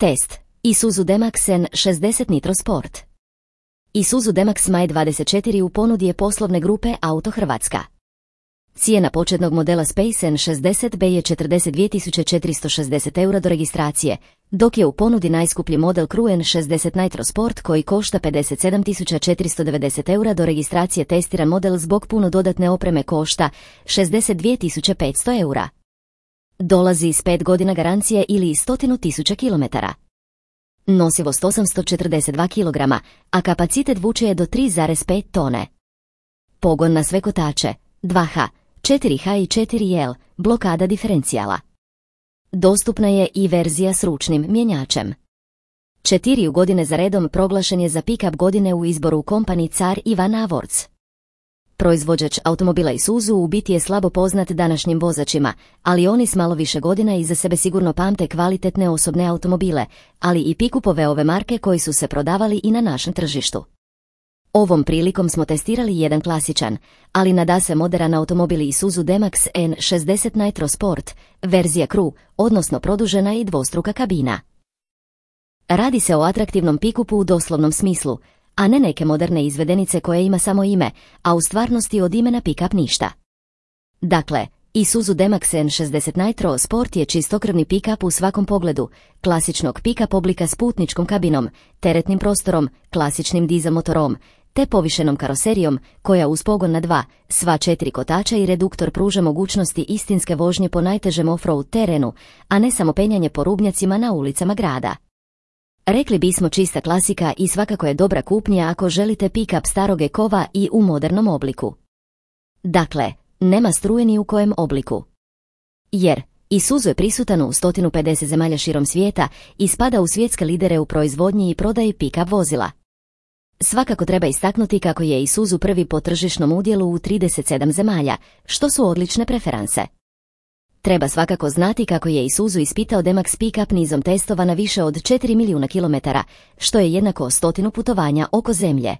Test. Isuzu D-Max N60 Nitro Sport. Isuzu D-Max Maj 24 u ponudi je poslovne grupe Auto Hrvatska. Cijena početnog modela Space N60B je 42.460 € do registracije, dok je u ponudi najskuplji model Crew N60 Nitro Sport koji košta 57.490 € do registracije. Testiran model zbog puno dodatne opreme košta 62.500 €. Dolazi s 5 godina garancije ili 100.000 km. Nosivost 842 kg, a kapacitet vuče je do 3,5 tone. Pogon na sve kotače, 2H, 4H i 4L, blokada diferencijala. Dostupna je i verzija s ručnim mjenjačem. 4 godine za redom proglašen je za pick-up godine u izboru Company Car i Van Awards. Proizvođač automobila Isuzu u biti je slabo poznat današnjim vozačima, ali oni s malo više godina iza sebe sigurno pamte kvalitetne osobne automobile, ali i pikupove ove marke koji su se prodavali i na našem tržištu. Ovom prilikom smo testirali jedan klasičan, ali nadasve moderan automobil Isuzu D-Max N60 Nitro Sport, verzija Crew, odnosno produžena i dvostruka kabina. Radi se o atraktivnom pikupu u doslovnom smislu, a ne neke moderne izvedenice koje ima samo ime, a u stvarnosti od imena pick-up ništa. Dakle, Isuzu D-Max N60 Nitro Sport je čistokrvni pick-up u svakom pogledu, klasičnog pick-up oblika s putničkom kabinom, teretnim prostorom, klasičnim dizel motorom, te povišenom karoserijom koja uz pogon na 2, sva 4 kotača i reduktor pruža mogućnosti istinske vožnje po najtežem off-road terenu, a ne samo penjanje po rubnjacima na ulicama grada. Rekli bismo čista klasika i svakako je dobra kupnja ako želite pick-up staroge kova i u modernom obliku. Dakle, nema struje ni u kojem obliku. Jer Isuzu je prisutan u 150 zemalja širom svijeta i spada u svjetske lidere u proizvodnji i prodaji pick-up vozila. Svakako treba istaknuti kako je Isuzu prvi po tržišnom udjelu u 37 zemalja, što su odlične preferanse. Treba svakako znati kako je Isuzu ispitao D-Max pick-up nizom testova na više od 4 milijuna kilometara, što je jednako 100 putovanja oko zemlje.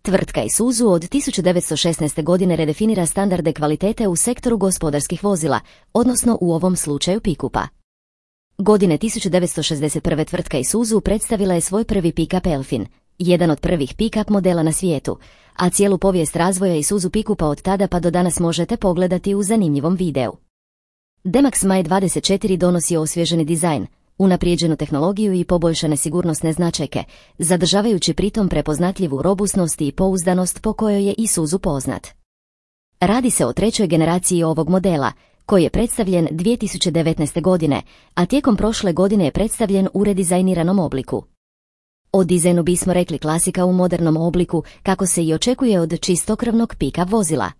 Tvrtka Isuzu od 1916. godine redefinira standarde kvalitete u sektoru gospodarskih vozila, odnosno u ovom slučaju pikupa. Godine 1961. tvrtka Isuzu predstavila je svoj prvi pick-up Elfin, jedan od prvih pick-up modela na svijetu, a cijelu povijest razvoja Isuzu pikupa od tada pa do danas možete pogledati u zanimljivom videu. D-Max Maj 24 donosi osvježeni dizajn, unaprijeđenu tehnologiju i poboljšane sigurnosne značajke, zadržavajući pritom prepoznatljivu robusnost i pouzdanost po kojoj je Isuzu poznat. Radi se o trećoj generaciji ovog modela, koji je predstavljen 2019. godine, a tijekom prošle godine je predstavljen u redizajniranom obliku. O dizajnu bismo rekli klasika u modernom obliku, kako se i očekuje od čistokrvnog pick-up vozila.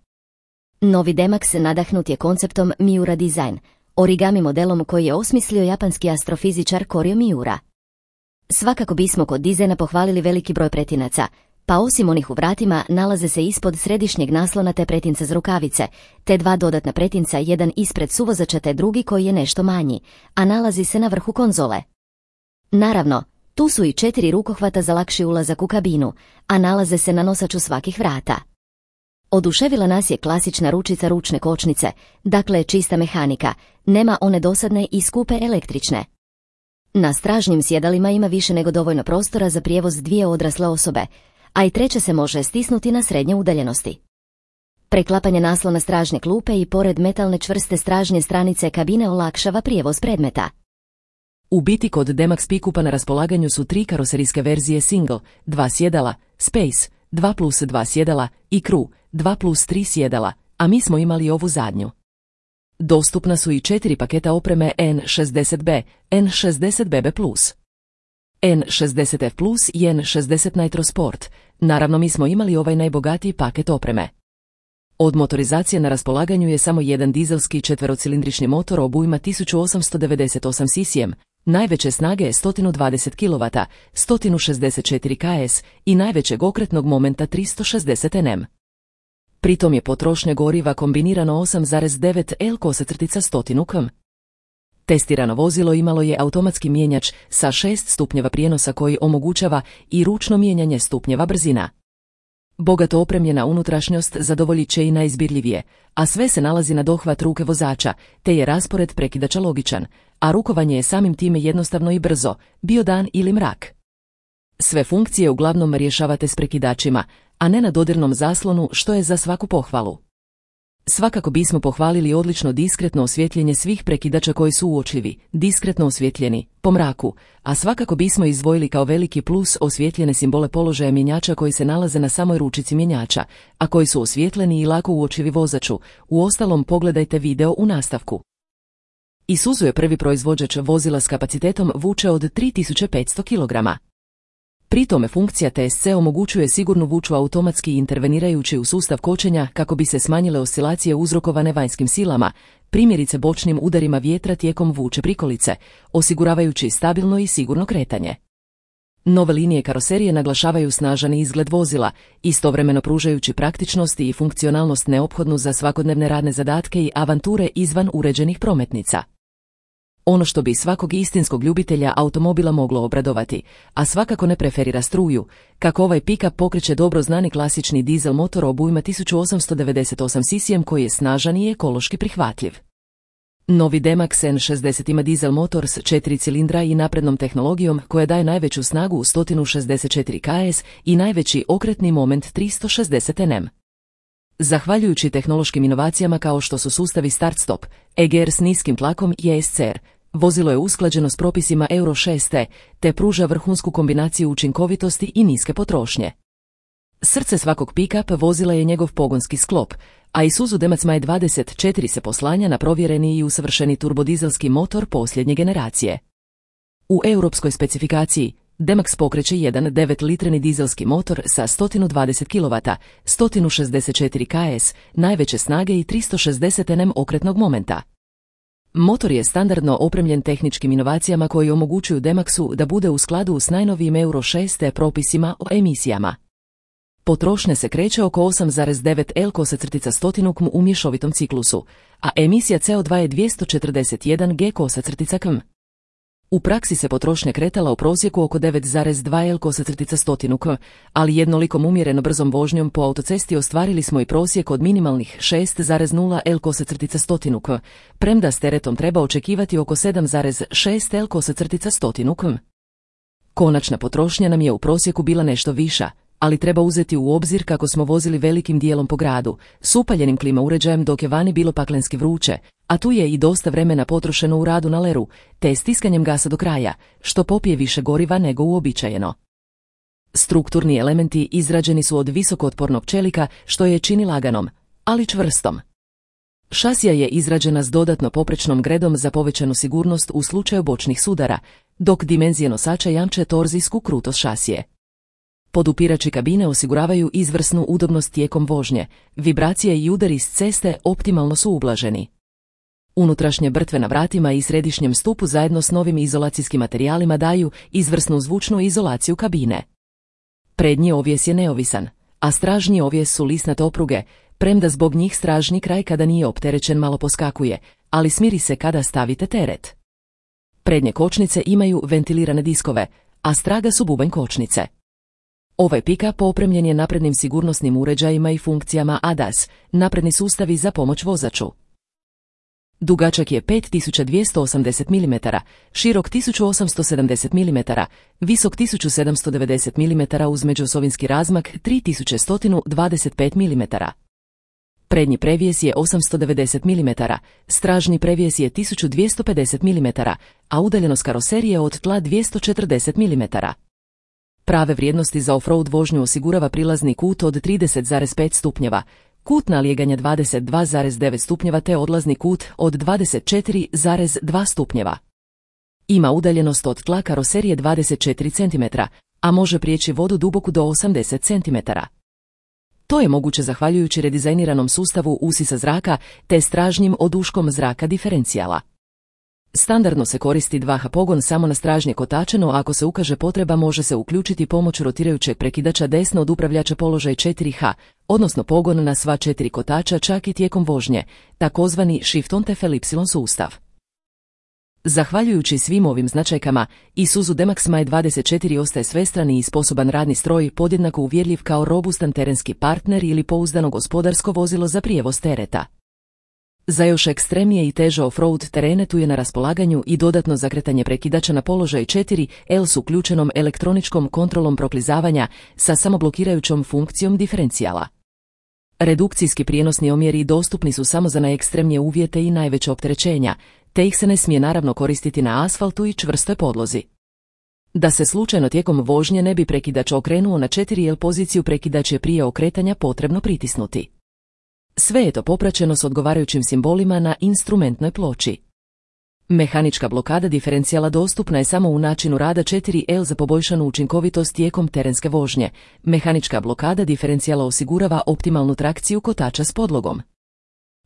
Novi D-Max nadahnut je konceptom Miura Design, origami modelom koji je osmislio japanski astrofizičar Koryo Miura. Svakako bismo kod dizajna pohvalili veliki broj pretinaca, pa osim onih u vratima nalaze se ispod središnjeg naslona te pretinca za rukavice, te 2 dodatna pretinca, jedan ispred suvozača te drugi koji je nešto manji, a nalazi se na vrhu konzole. Naravno, tu su i 4 rukohvata za lakši ulazak u kabinu, a nalaze se na nosaču svakih vrata. Oduševila nas je klasična ručica ručne kočnice, dakle čista mehanika, nema one dosadne i skupe električne. Na stražnjim sjedalima ima više nego dovoljno prostora za prijevoz 2 odrasle osobe, a i treća se može stisnuti na srednje udaljenosti. Preklapanje naslona stražnje klupe i pored metalne čvrste stražnje stranice kabine olakšava prijevoz predmeta. U biti kod D-Max pikupa na raspolaganju su 3 karoserijske verzije Single, 2 sjedala, Space, 2+2 sjedala i Crew, 2+3 sjedala, a mi smo imali ovu zadnju. Dostupna su i 4 paketa opreme N60B, N60BB+, N60F+, i N60 Nitro Sport, naravno mi smo imali ovaj najbogatiji paket opreme. Od motorizacije na raspolaganju je samo jedan dizelski četverocilindrični motor obujma 1898 cc, najveće snage je 120 kW, 164 ks i najvećeg okretnog momenta 360 Nm. Pritom je potrošnja goriva kombinirano 8,9 L/100 km. Testirano vozilo imalo je automatski mijenjač sa 6 stupnjeva prijenosa koji omogućava i ručno mijenjanje stupnjeva brzina. Bogato opremljena unutrašnjost zadovoljit će i najizbirljivije, a sve se nalazi na dohvat ruke vozača, te je raspored prekidača logičan, a rukovanje je samim time jednostavno i brzo, bio dan ili mrak. Sve funkcije uglavnom rješavate s prekidačima, a ne na dodirnom zaslonu, što je za svaku pohvalu. Svakako bismo pohvalili odlično diskretno osvjetljenje svih prekidača koji su uočljivi, diskretno osvjetljeni, po mraku, a svakako bismo izdvojili kao veliki plus osvjetljene simbole položaja mjenjača koji se nalaze na samoj ručici mjenjača, a koji su osvjetleni i lako uočljivi vozaču. Uostalom pogledajte video u nastavku. Isuzu je prvi proizvođač vozila s kapacitetom vuče od 3500 kg. Pri tome funkcija TSC omogućuje sigurnu vuču automatski intervenirajući u sustav kočenja kako bi se smanjile oscilacije uzrokovane vanjskim silama, primjerice bočnim udarima vjetra tijekom vuče prikolice, osiguravajući stabilno i sigurno kretanje. Nove linije karoserije naglašavaju snažan izgled vozila, istovremeno pružajući praktičnost i funkcionalnost neophodnu za svakodnevne radne zadatke i avanture izvan uređenih prometnica. Ono što bi svakog istinskog ljubitelja automobila moglo obradovati, a svakako ne preferira struju, kako ovaj pick-up pokreće dobro znani klasični dizel motor obujma 1898 cc koji je snažan i ekološki prihvatljiv. Novi D-Max N60 ima dizel motor s 4 cilindra i naprednom tehnologijom koja daje najveću snagu u 164 kS i najveći okretni moment 360 Nm. Zahvaljujući tehnološkim inovacijama kao što su sustavi start-stop, EGR s niskim tlakom i ESCR, vozilo je usklađeno s propisima Euro 6 te pruža vrhunsku kombinaciju učinkovitosti i niske potrošnje. Srce svakog pick-up vozila je njegov pogonski sklop, a Isuzu D-Max Maj 24 se poslanja na provjereni i usavršeni turbodizelski motor posljednje generacije. U europskoj specifikaciji D-Max pokreće jedan 9-litreni dizelski motor sa 120 kW, 164 kS, najveće snage i 360 Nm okretnog momenta. Motor je standardno opremljen tehničkim inovacijama koji omogućuju D-Maxu da bude u skladu s najnovijim Euro 6 propisima o emisijama. Potrošnja se kreće oko 8,9 L/100 km u mješovitom ciklusu, a emisija CO2 je 241 G/cm. U praksi se potrošnja kretala u prosjeku oko 9,2 L/100 km, ali jednolikom umjereno brzom vožnjom po autocesti ostvarili smo i prosjek od minimalnih 6,0 L/100 km, premda s teretom treba očekivati oko 7,6 L/100 km. Konačna potrošnja nam je u prosjeku bila nešto viša, ali treba uzeti u obzir kako smo vozili velikim dijelom po gradu, s upaljenim klima uređajem dok je vani bilo paklenski vruće, a tu je i dosta vremena potrošeno u radu na leru, te stiskanjem gasa do kraja, što popije više goriva nego uobičajeno. Strukturni elementi izrađeni su od visokootpornog čelika, što je čini laganom, ali čvrstom. Šasija je izrađena s dodatno poprečnom gredom za povećanu sigurnost u slučaju bočnih sudara, dok dimenzije nosača jamče torzijsku krutost šasije. Podupirači kabine osiguravaju izvrsnu udobnost tijekom vožnje, vibracije i udari s ceste optimalno su ublaženi. Unutrašnje brtve na vratima i središnjem stupu zajedno s novim izolacijskim materijalima daju izvrsnu zvučnu izolaciju kabine. Prednji ovjes je neovisan, a stražnji ovjes su lisnate opruge, premda zbog njih stražnji kraj kada nije opterećen malo poskakuje, ali smiri se kada stavite teret. Prednje kočnice imaju ventilirane diskove, a straga su bubanj kočnice. Ovaj pick-up opremljen je naprednim sigurnosnim uređajima i funkcijama ADAS, napredni sustavi za pomoć vozaču. Dugačak je 5280 mm, širok 1870 mm, visok 1790 mm uz međuosovinski razmak 3125 mm. Prednji previjes je 890 mm, stražni previjes je 1250 mm, a udaljenost karoserije od tla 240 mm. Prave vrijednosti za off-road vožnju osigurava prilazni kut od 30,5 stupnjeva, kut nalijeganja 22,9 stupnjeva te odlazni kut od 24,2 stupnjeva. Ima udaljenost od tla karoserije 24 cm, a može prijeći vodu duboku do 80 cm. To je moguće zahvaljujući redizajniranom sustavu usisa zraka te stražnjim oduškom zraka diferencijala. Standardno se koristi 2H pogon samo na stražnje kotače, no ako se ukaže potreba može se uključiti pomoć rotirajućeg prekidača desno od upravljača položaj 4H, odnosno pogon na sva 4 kotača čak i tijekom vožnje, takozvani Shift on TFLY sustav. Zahvaljujući svim ovim značajkama, Isuzu D-Max Maj 24 ostaje svestrani i sposoban radni stroj, podjednako uvjerljiv kao robustan terenski partner ili pouzdano gospodarsko vozilo za prijevoz tereta. Za još ekstremnije i teže off-road terene tu je na raspolaganju i dodatno zakretanje prekidača na položaj 4L s uključenom elektroničkom kontrolom proklizavanja sa samoblokirajućom funkcijom diferencijala. Redukcijski prijenosni omjeri dostupni su samo za najekstremnije uvjete i najveće opterećenja, te ih se ne smije naravno koristiti na asfaltu i čvrstoj podlozi. Da se slučajno tijekom vožnje ne bi prekidač okrenuo na 4L poziciju, prekidač je prije okretanja potrebno pritisnuti. Sve je to popraćeno s odgovarajućim simbolima na instrumentnoj ploči. Mehanička blokada diferencijala dostupna je samo u načinu rada 4L za poboljšanu učinkovitost tijekom terenske vožnje. Mehanička blokada diferencijala osigurava optimalnu trakciju kotača s podlogom.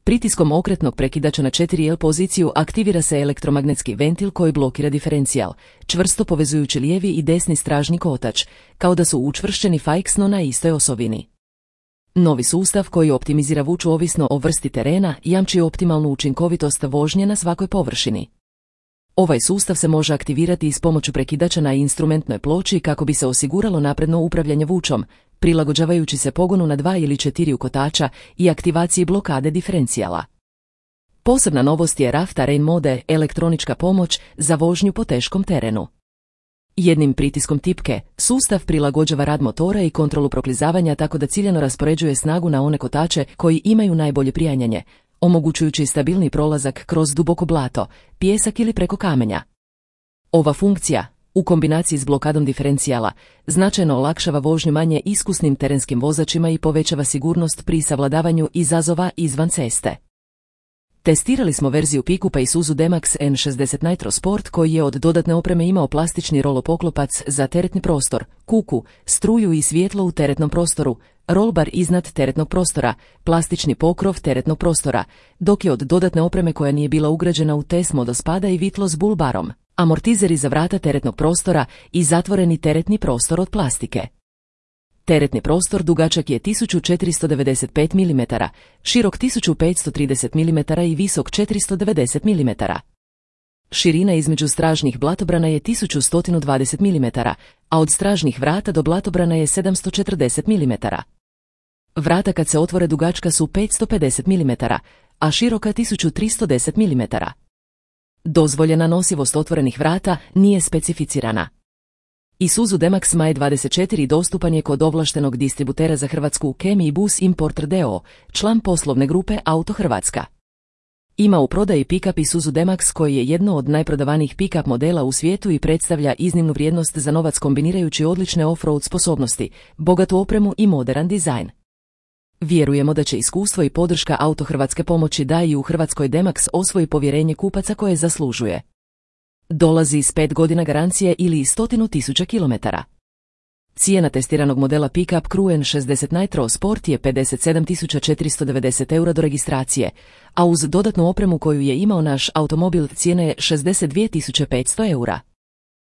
Pritiskom okretnog prekidača na 4L poziciju aktivira se elektromagnetski ventil koji blokira diferencijal, čvrsto povezujući lijevi i desni stražni kotač, kao da su učvršćeni fiksno na istoj osovini. Novi sustav koji optimizira vuču ovisno o vrsti terena jamči optimalnu učinkovitost vožnje na svakoj površini. Ovaj sustav se može aktivirati i s pomoću prekidača na instrumentnoj ploči kako bi se osiguralo napredno upravljanje vučom, prilagođavajući se pogonu na 2 ili 4 kotača i aktivaciji blokade diferencijala. Posebna novost je RAV Terrain mode, elektronička pomoć za vožnju po teškom terenu. Jednim pritiskom tipke, sustav prilagođava rad motora i kontrolu proklizavanja tako da ciljano raspoređuje snagu na one kotače koji imaju najbolje prijanjanje, omogućujući stabilni prolazak kroz duboko blato, pijesak ili preko kamenja. Ova funkcija, u kombinaciji s blokadom diferencijala, značajno olakšava vožnju manje iskusnim terenskim vozačima i povećava sigurnost pri savladavanju izazova izvan ceste. Testirali smo verziju pikupa Isuzu D-Max N60 Nitro Sport koji je od dodatne opreme imao plastični rolopoklopac za teretni prostor, kuku, struju i svjetlo u teretnom prostoru, rolbar iznad teretnog prostora, plastični pokrov teretnog prostora, dok je od dodatne opreme koja nije bila ugrađena u test modospada i vitlo s bulbarom, amortizeri za vrata teretnog prostora i zatvoreni teretni prostor od plastike. Teretni prostor dugačak je 1495 mm, širok 1530 mm i visok 490 mm. Širina između stražnih blatobrana je 1120 mm, a od stražnih vrata do blatobrana je 740 mm. Vrata kad se otvore dugačka su 550 mm, a široka 1310 mm. Dozvoljena nosivost otvorenih vrata nije specificirana. Isuzu D-Max Maj 24 dostupan je kod ovlaštenog distributera za Hrvatsku Kemi Bus Importer d.o.o., član poslovne grupe Auto Hrvatska. Ima u prodaji pick-up Isuzu D-Max koji je jedno od najprodavanijih pick-up modela u svijetu i predstavlja iznimnu vrijednost za novac kombinirajući odlične off-road sposobnosti, bogatu opremu i moderan dizajn. Vjerujemo da će iskustvo i podrška Auto Hrvatske pomoći da i u Hrvatskoj D-Max osvoji povjerenje kupaca koje zaslužuje. Dolazi s 5 godina garancije ili 100.000 km. Cijena testiranog modela pick-up Crew N60 Nitro Sport je 57.490 eura do registracije, a uz dodatnu opremu koju je imao naš automobil cijena je 62.500 eura.